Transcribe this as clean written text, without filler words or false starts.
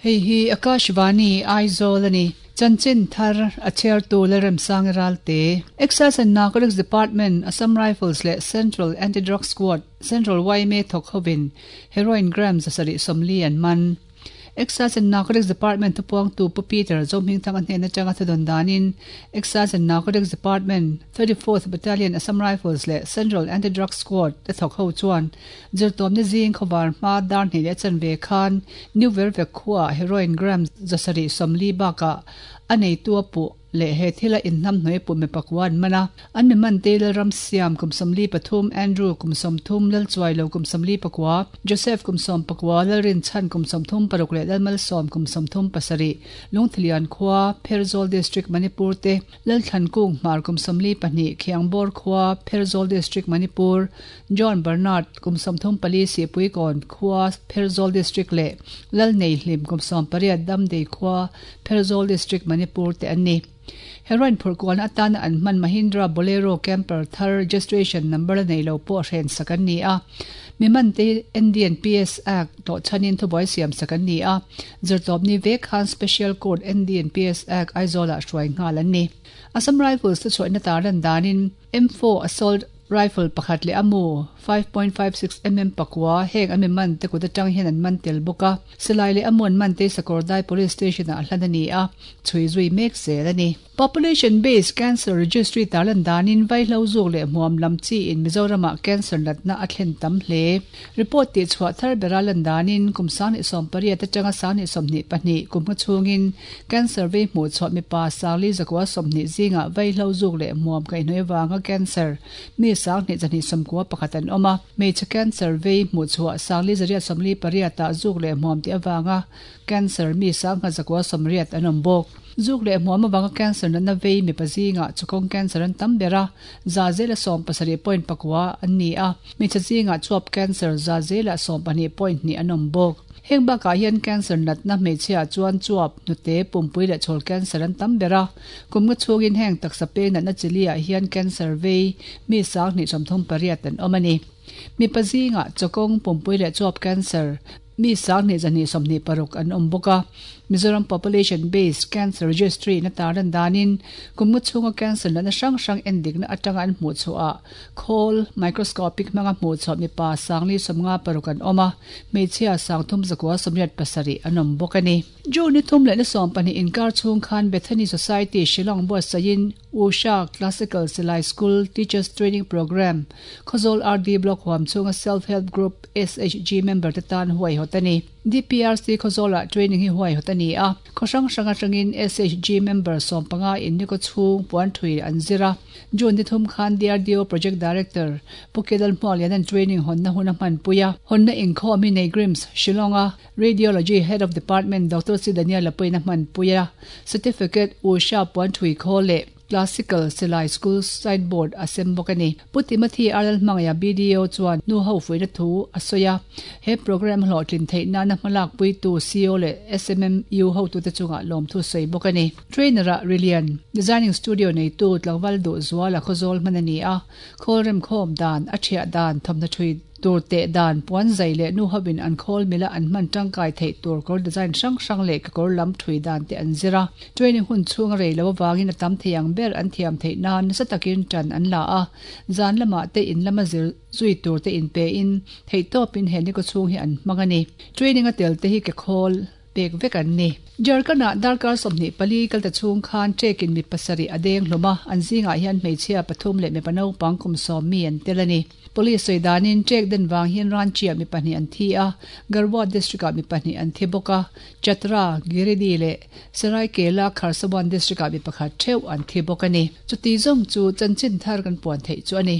Hei hi Akashvani, Aizawl a ni. Chanchin thar a chhiartu Lalremsangi Ralte, Excise and Narcotics Department, Assam Rifles leh Central Anti-Drug Squad, Central yma thawk hovin Heroin gram 740 an man. Excise and Narcotics Department thupuangtu Pu Peter Zohmingthanga hnen atanga thudawn danin Excise and Narcotics Department, 34th Battalion Assam Rifles leh Central Anti-Drug Squad te thawk ho chuan zirtawmna zing khawvar hma dar hnih leh chanve khan New Vervek khuaah heroin gram 740 bakah a neitu a puh leh he thila inhnamhnawih puh mi pakua an man a. An mi man te Lalram Siam kum 43, Andrew kum 30, Lalchuailo kum 49, Joseph kum 14, Lalrinchhan kum 36 leh Lalmalsawm kum 37, Lungthilian khua, Pherzawl District, Manipur te, Lalthlan Kung Hmar kum 42, Khiangbawr khua, Pherzawl District, Manipur, John Bernard kum 34 Sihpuikawn khua, Pherzawl District leh Lalneihlim kum 18, Damdei khua, Pherzawl District, Manipur te an ni. Heroin phurh kualna atana an hman Mahindra Bolero Camper thar registration number la nei lo pawh hren sak an ni a. Mi man te hi NDNPS Act tawh chhanin thubuai siam sak an ni a. Zirtawpni vek khan Special Court NDNPS Act Aizawl-ah hruai nghal an ni. Assam Rifles te chhuahna tarlan danin M4 Assault Rifle pakhat leh a mu, 5.56 mm pakua, heng an mi man te kut atang hian an man tel bawk a. Silai leh a mu an man te Sakawrdai Police Station ah hlan a ni a, chhui zui mek zel a ni. Population Based Cancer Registry tarlan danin vaihlo zuk leh hmuam lam chi in Mizoram ah cancer natna a thlen tam hle. Report tih chhuah thar bera lan danin kum 2018 atanga 2022 kum hma chhungin Cancer vei hmuh chhuah mipa sangli zakua 20 zingah vaihlo zuk leh hmuam kaihhnawih avanga cancer mi 2291 an awm a. Hmeichhe cancer vei hmuh chhuah sangli 148 ah zuk leh hmuam tih avanga cancer mi 980 an awm bawk. Zuk leh hmuam avanga cancer natna vei mipa zingah chukawng cancer an tam ber a, za zela 70.9 an ni a. Hmeichhe zingah chuap cancer za zela 12.2 an awm bawk. Heng bakah hian cancer natna hmeichhiaah chuan chuap, hnute, pumpui leh chhawl cancer an tam ber a. Kum nga chhungin heng taksa peng natna chili-ah hian cancer vei mi 2038 an awm a ni. Mipa zingah chawkawng, pumpui leh chuap cancer mi 2226 an awm bawk a. Mizoram Population Based Cancer Registry na tarlan danin kum nga chhunga cancer natna hrang hrang endikna atanga an hmuh chhuahah Khawl, microscopic, hmanga hmuh chhuah mipa 456 an awm a, hmeichhia 3387 an awm bawk a ni. June ni thum leh ni 12 inkar chhung khan Bethany Society Shillong buatsaihin Usha Classical Silai School Teachers Training Programme, Khawzawl RD Block huam chhunga Self Help Group, SHG, member te tan huaihawt a ni. DPRC Khawzawlah training hi huaihawt a ni a, khaw hrang hrang atangin SHG member 15 in ni kaw chhung puan thui an zir a. June ni thum khan DRDO Project Director Pu Kedal Hmualianan training hawnna hun a hmanpui a, hawnna inkhawm hi Neigrims, Shillong-a Radiology Head of Department Doctor C Daniel-a pawhin a hmanpui a, Certificate Usha puan thui khawl leh Classical Silai School Signboard a sem bawk a ni. Pu Timothy R Lalhmangaiha BDO chuan nu ho fuihna thu a sawi a, he programme hlawhtlin theih nana hmalakpuitu CO leh SMMU hotute chungah lawmthu sawi bawk a ni. Trainer-ah Rilian Designing Studio neitu tlangval duh zual a khawzawl hman a ni a, khawl remkhawm dan, a thiah dan, thawmhnaw thui tur teh dan, puan zai leh nu hovin an khawl mila an hman tangkai theih tur kawr design hrang hrang leh kekawr lam thui dan te an zir a. Training hun chhung a rei lo avangin a tam thei ang ber an thiam theih nan nasa takin tan an la a, zan lamah te in lama zir zui tur te inpein theihtawpin he ni kawchhung hi an hmang a ni. Training a tel te hi kekhawl. pek vek an ni. Jharkhand-ah darkar 24 kalta chhung khan ṭekin mi pasarih a deng hlawm a, an zingah hian hmeichhia pathum leh mipa naupang kum sawm mi an tel a ni. Police sawi danin ṭek den vang hian Ranchi-ah mi pahnih an thi a, Garhwa district-ah mi pahnih an thi bawk a, Chatra, Giridih leh Seraikela Kharsawan district-ah mi pakhat ṭheuh an thi bawk a ni. Chuti zawng chu chanchin thar kan puan theih chu a ni.